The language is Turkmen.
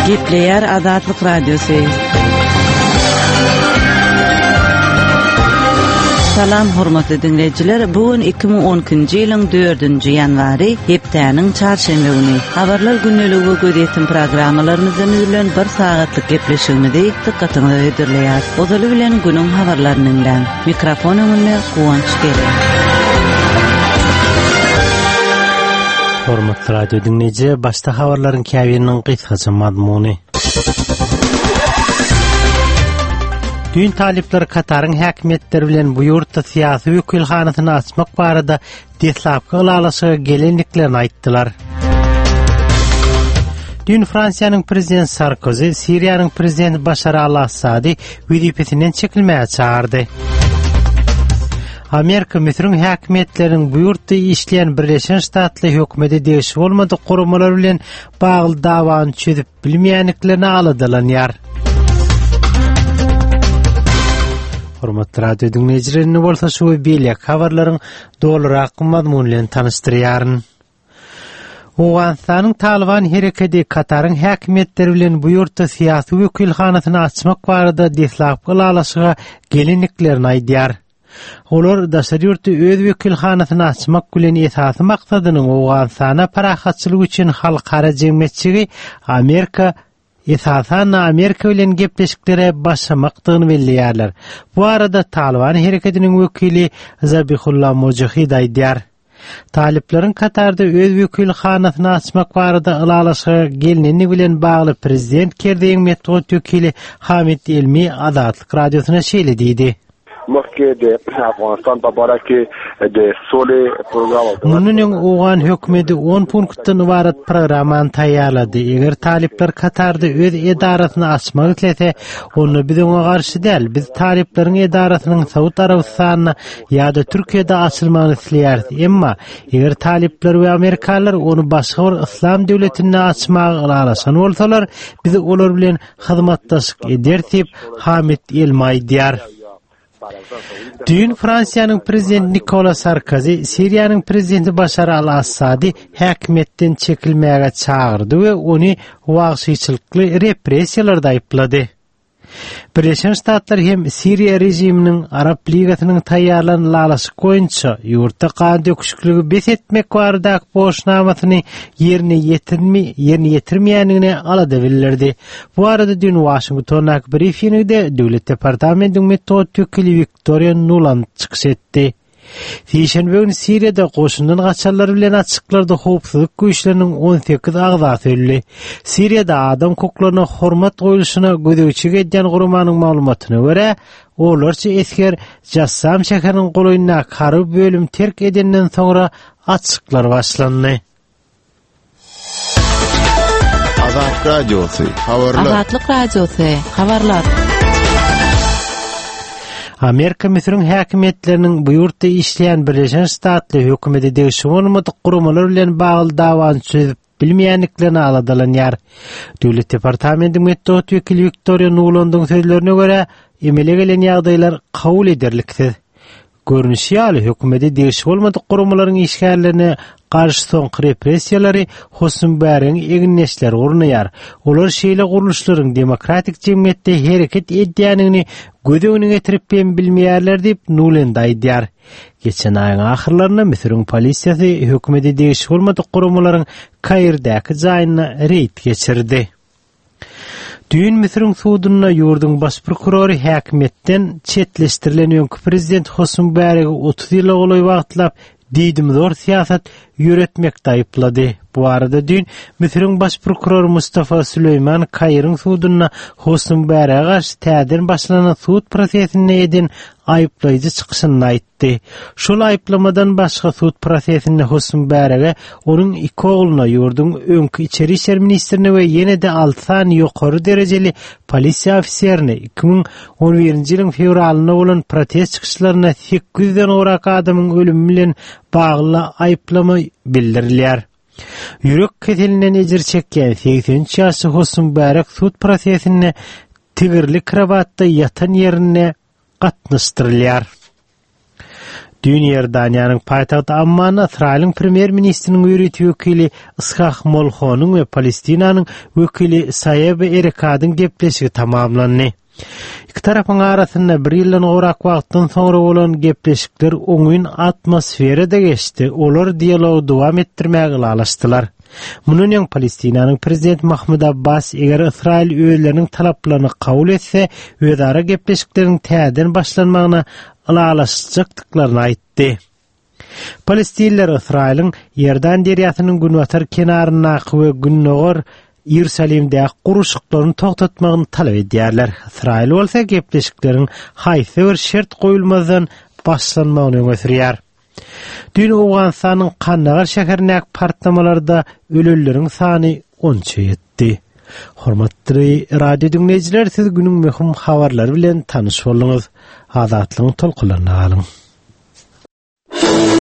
Gepleýär Azatlyk Radiosy. Salam hormatly diňleýjiler, bu gün 2012-nji ýylyň 4-nji ýanwary, hepdäniň çarşenbe güni. Habarlar gündeligi we gözýetim programmalarymyzdan düzülen bir sagatlyk gepleşigimizi dykgatyňyza hödürleýäris. Ozaly bilen günüň habarlaryny diňläň. Mikrofon öňünde Guwanç Gelen. Hormatly radio diňleýji, başda habarlaryň käbiriniň gysgaça mazmuny. Düýn talyplar Kataryň häkimiýetleri bilen bu ýurtda syýasy wekilhanasyny açmak barada deslapky ylalaşyga gelendiklerini aýtdylar. Düýn Fransiýanyň prezidenti Sarkozy Siriýanyň prezidenti Başar al-Assady wezipesinden çekilmäge çagyrdy. Amerika Müsüriň häkimiýetleriniň bu ýurtda işleýän Birleşen Ştatly hökümete degişli bolmadyk guramalar bilen bagly dawany çözüp bilmeýändiklerine aladalanýar. Hormatly radio diňleýjiler, indi bolsa şu we beýleki habarlaryň dolurak mazmuny bilen tanyşdyrýaryn. Owganystanyň Talyban herekedi Kataryň häkimiýetleri bilen bu ýurtda syýasy wekilhanasyny açmak barada deslapky ylalaşyga gelendiklerini aýdýar. Olar daşary ýurtda öz wekilhanasyny açmak bilen esasy maksadynyň Owganystana parahatçylyk üçin halkara jemgyýetçigi Amerika, esasan-da Amerika bilen gepleşiklere başlamakdygyny belleýärler. Bu barada Talyban hereketiniň wekili Zabihullah Mujahid aýdýar. Talyplaryň Katarda öz wekilhanasyny açmak barada ylalaşyga gelneni bilen bagly prezident Kerzeýiň metbugat wekili Hamid Elmi Azatlyk Radiosyna şeýle diýdi. Mundan öň owgan hökümeti on punktdan ybarat programmany taýýarlady. Eger talyplar Katarda öz edarasyny açmak islese, onda biz oňa garşy däl. Biz talyplaryň edarasynyň Saud Arabystanynda ýa-da Türkiýede açylmagyny isleýäris. Emma, eger talyplar we amerikanlar ony başga bir yslam döwletinde açmaga ylalaşan bolsalar, biz olar bilen hyzmatdaşlyk ederis diýip, Hamid Elmi aýdýar. Düýn Fransiýanyň prezidenti Nikola Sarkozy Siriýanyň prezidenti Başar al-Assady häkimiýetden çekilmäge çagyrdy we ony wagşyçylykly repressiýalarda aýyplady. Birleşen Ştatlar hem Siriýa režiminiň Arap Ligasynyň taýýarlan ylalaşyk boýunça ýurtda gan döküşikligi bes etmek baradaky borçnamasyny ýerine ýetirmi ýerine ýetirmeýändigine alada bildirdi. Bu barada düýn Waşingtondaky brifingde Döwlet departamentiň metbugat wekili Wiktoriýa Nuland çykyş etdi. Sişenbe güni Siriýada goşundan gaçanlar bilen açyklarda howpsuzlyk güýçleriniň 18 agzasy öldi. Siriýada adam hukuklaryna hormat goýluşyna gözegçilik edýän guramanyň maglumatyna görä, onlarça esger Jassam şäheriniň golaýyndaky harby bölümi terk edenden soňra açyklar başlandy. Azat Radiosy, habarlar. Azatlyk Radiosy, habarlar. Amerika Müsüriň häkimiýetleriniň bu ýurtda işleýän Birleşen Ştatly hökümete degişli bolmadyk guramalar bilen bagly dawany çözüp bilmeýändiklerine aladalanýar. Döwlet departamentiň metbugat wekili Wiktoriýa Nulandyň sözlerine görä, emele gelen ýagdaýlar kabul ederliksiz. Görnüşi ýaly, hökümete degişli bolmadyk guramalaryň işgärlerine garşy soňky repressiýalary Hosni Mübäregiň egindeşleri gurnaýar. Olar şeýle gurluşlaryň demokratik jemgyýetde hereket edýändigini göz öňüne getirip hem bilmeýärler diýip, Nulend aýdýar. Geçen aýyň ahyrlarynda Müsüriň polisiýasy hökümete degişli bolmadyk guramalaryň Kairdäki jaýynda reýd geçirdi. Düýn Müsüriň sudunda ýurduň baş prokurory häkimiýetden çetleşdirilen öňki prezident Hosni Mübäregi 30 ýyla golaý wagtlap diýdimzor syýasat ýöretmekde aýyplady. Bu barada düýn Müsüriň baş prokurory Mustafa Süleýman Kairiň sudunda Hosni Mübärege garşy täzeden başlanan sud prosesinde eden aýyplaýjy çykyşynda aýtdy. aýtdy. Şol aýyplamadan başga sud prosesinde Hosni Mübärege, onuň iki ogluna, ýurduň öňki içeri işler ministrine we ýene-de alty sany ýokary derejeli polisiýa ofiserine 2011-nji ýylyň fewralynda bolan protest çykyşlarynda 800 den gowrak adamyň ölümi bilen bagly aýyplama bildirilýär. Ýürek keselinden ejir çekýän 83 ýaşly Hosni Mübärek sud prosesinde tigirli krowatda ýatan ýerinde gatnaşdyrylýar. Düýn Iordaniýanyň paýtagty Ammanda Ysraýylyň premýer-ministriniň ýörite wekili Ishak Molhonyň we Palestinanyň wekili Saeb Erekadyň gepleşigi tamamlandy. Iki tarapyň arasynda bir ýyldan gowrak wagtdan soňra bolan gepleşikler oňyn atmosferada geçdi, olar dialogy dowam etdirmäge ylalaşdylar. Mundan öň Palestinanyň prezidenti Mahmud Abbas eger Ysraýyl özleriniň talaplaryny kabul etse, özara gepleşikleriň täzeden başlanmagyna ylalaşjakdyklaryny aýtdy. Palestinliler Ysraýylyň Iordan derýasynyň günbatar kenaryndaky we gündogar Iýerusalimdäki gurluşyklaryny togtatmagyny talap edýärler. Ysraýyl bolsa gepleşikleriň haýsy bir şert goýulmazdan başlanmagyny öňe sürýär. Düýn Owganystanyň Kandagar şäherindäki partlamalarda ölenleriň sany onça ýetdi. Hormatly radio diňleýjiler, siz günüň möhüm habarlary bilen tanyş bolduňyz. Azatlygyň tolkunlarynda galyň.